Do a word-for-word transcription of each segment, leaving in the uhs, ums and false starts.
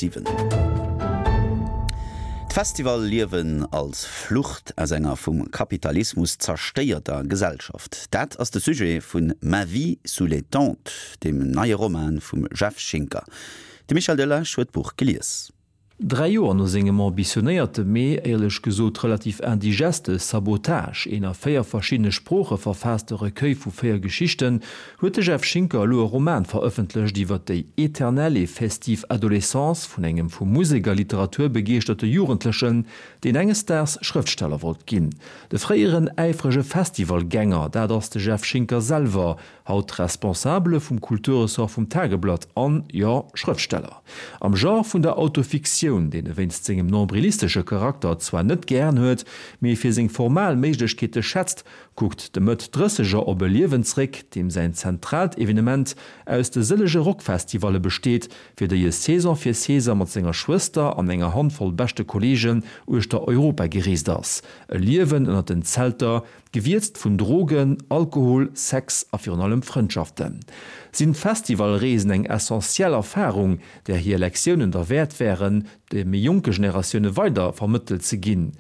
Siwen. D'Festival-Liewen als Flucht aus enger vum Kapitalismus zerstéierter Gesellschaft, dat ass de Sujet vun Ma vie sous les tentes, dem neie Roman vum Jeff Schinker. De Michel Delage huet d'Buch gelies. Dräi Joer no sengem ambitionéierte mee éierlech gesot relativ indigeste Sabotage, een a véier verschiddene Sprooche verfaasste Recueil vu véier Geschichten, huet de Jeff Schinker elo e Roman verëffentlecht iwwer déi éternelle et festive Adolescence vun engem vu Musek a Literatur begeeschterte Jugendlechen, deen enges Daags Schrëftsteller wollt ginn. De fréieren äifrege Festivalgänger, dat ass de Jeff Schinker selwer, haut Responsabele vum Kulturressort vum Tageblatt an, jo, Schrëftsteller. Am Genre vun der Autofiktioun, deen e wéinst sengem nombrilistesche Charakter zwar net gären huet, mee fir seng formal Méiglechkeete schätzt, kuckt de Mëtt-Drësseger op e Liewen zréck, deem säin zentraalt Evenement aus de sëllege Rockfestivalle besteet, fir déi e Saison fir Saison mat senger Schwëster an enger Handvoll beschte Kolleegen uechter Europa gereest ass. E Liewen ënnert den Zelter, gewierzt vun Drogen, Alkohol, Sex a virun allem Frëndschaften. Sinn d'Festivalreesen eng essentiell Erfarung, där hir Lektiounen derwäert wären, de méi jonke Generatioune weider vermëttelt ze ginn?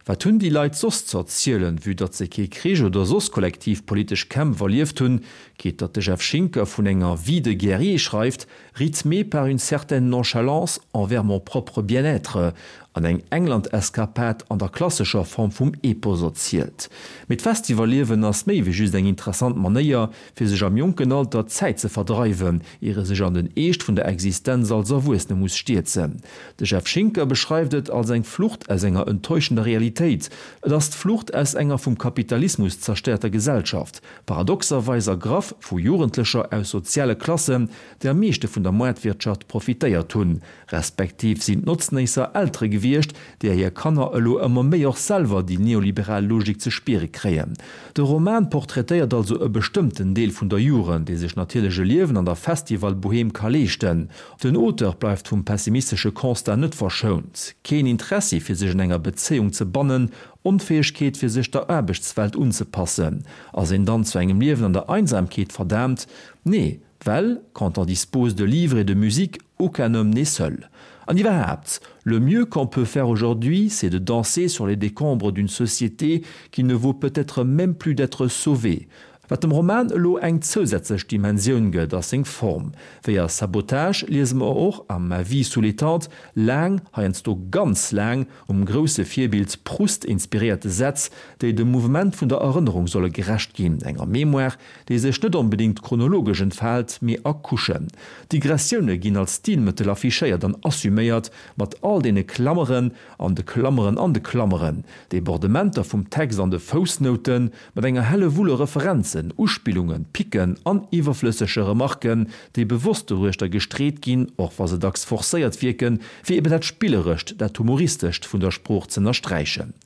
Wat hunn déi Leit soss ze erzielen, vue datt se kee Krich oder soss kollektiv politesch Kämpf erlieft hunn? Quitte datt de Jeff Schinker vun enger vie de guerrier schreift, rythmée par une certaine nonchalance envers mon propre bien-être, an eng England-Eskapad an der klassescher Form vum Epos erzielt. Mee d'Festivalliewen ass méi wéi just eng interessant Manéier, fir sech am jonken Alter d'Zäit ze verdreiwen, ier e sech an den Eescht vun der Existenz als Erwuessene muss stierzen. De Jeff Schinker beschreift et als eng Flucht aus enger enttäuschender Realitéit. Et ass d'Flucht aus enger vum Kapitalismus zerstéierter Gesellschaft, paradoxerweis ergraff vu Jugendlecher aus soziale Klassen, déi am meeschte vun der Moartwirtschaft profitéiert hunn, respektiv sinn d'Notznéisser Eltere gewiescht, deeër hir Kanner elo ëmmer méi och selwer déi neoliberal Logik ze spiere kréien. De Roman portraitéiert also e bestëmmten Deel vun der Jugend, déi sech natierlech e Liewen an der Festival-Bohème ka leeschten. Den Auteur bleift vum pessimistesche Constat net verschount, Keen Interessi fir sech un enger Bezéiung ze bannen, Onfäegkeet fir sech der Aarbechtswelt unzepassen. Ass een dann zu engem Liewen an der Einsamkeet verdaamt? Nee, well quand on dispose de livres et de musique, aucun homme n'est seul. An iwwerhaapt, le mieux qu'on peut faire aujourd'hui, c'est de danser sur les décombres d'une société qui ne vaut peut-être même plus d'être sauvée. Wat dem Roman elo eng zousätzlech Dimensioun gëtt, ass seng Form. Wéi a Sabotage liese mer och a Ma vie sous les tentes laang, heiansdo ganz laang, um grousse Virbild Proust inspiréierte Sätz, déi dem Mouvement vun der Erënnerung solle gerecht ginn, enger Mémoire, déi sech net onbedéngt chronologesch entfaalt, mee a Couchen. Digressioune ginn als Stilmëttel affichéiert an assuméiert, mat all deene Klammeren an de Klammeren an de Klammeren, Debordementer vum Text an de Foussnouten, mat enger Hellewull u Referenzen, Uspillungen, Picken an iwwerflëssege Remarken, déi bewosst doruechter gestreet ginn, och wa se dacks forcéiert wierken, fir eben dat Spillerescht, dat Humoristescht vun der Sprooch z'ënnersträichen.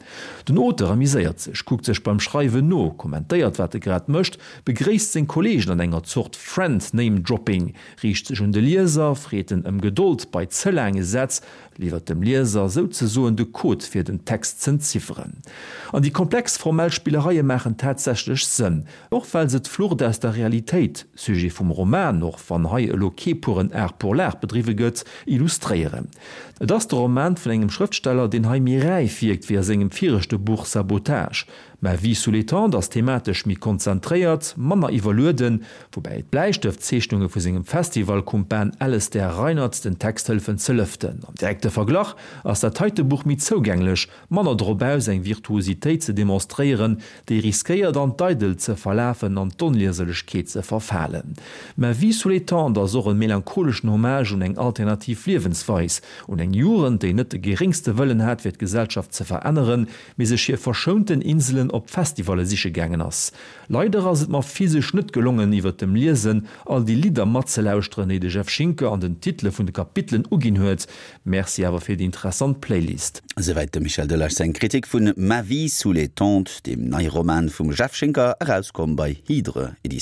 Den Auteur amuséiert sech, kuckt sech beim Schreiwen no, kommentéiert wat e grad mécht, begréisst seng Kolleegen an enger Zort Friend-Name-Dropping, riicht sech un de Lieser, freet en ëm Gedold bei ze laange Sätz, liwwert dem Lieser souzesoen de Code fir den Text z'entzifferen. An déi komplex formell Spillereie maachen tatsächlech Sënn, och well se d'Flucht aus der Realitéit, Sujet vum Roman, och wann hei elo kee puren Art pour l'art bedriwwe gëtt, illustréieren. Et ass de Roman vun engem Schrëftsteller, deen hei méi räif wierkt wéi a sengem viregte Buch Sabotage. Ma Vie sous les tentes ass thematesch méi konzentréiert, manner iwwerlueden, woubäi d'Bläistëftzeechnunge vu sengem Festivalkumpan Alastair Reinert den Text hëllefen ze lëften. Am direkte Verglach ass dat heite Buch méi zougänglech, manner drop aus, eng Virtuositéit ze demonstréieren, déi riskéiert an d'Eidelt ze verlafen an d'Onlieserlechkeet ze verfalen. Ma Vie sous les tentes ass och e melancholeschen Hommage un eng alternativ Liewensweis, un eng Jugend, déi net de geréngste Wëllen hat fir d'Gesellschaft ze veränneren, mee sech hir verschounten Inselen op Festivalle siche gaangen ass. Leider ass et mer physesch net gelongen iwwert dem Liesen all déi Lidder matzelauschteren, déi de Jeff Schinker an den Titele vun de Kapitelen uginn huet. Merci awer fir déi interessant Playlist. Esouwäit dem Michel Delage seng Kritik vun Ma vie sous les tentes, deem neie Roman vum Jeff Schinker, erauskomm bei Hydre Editiounen.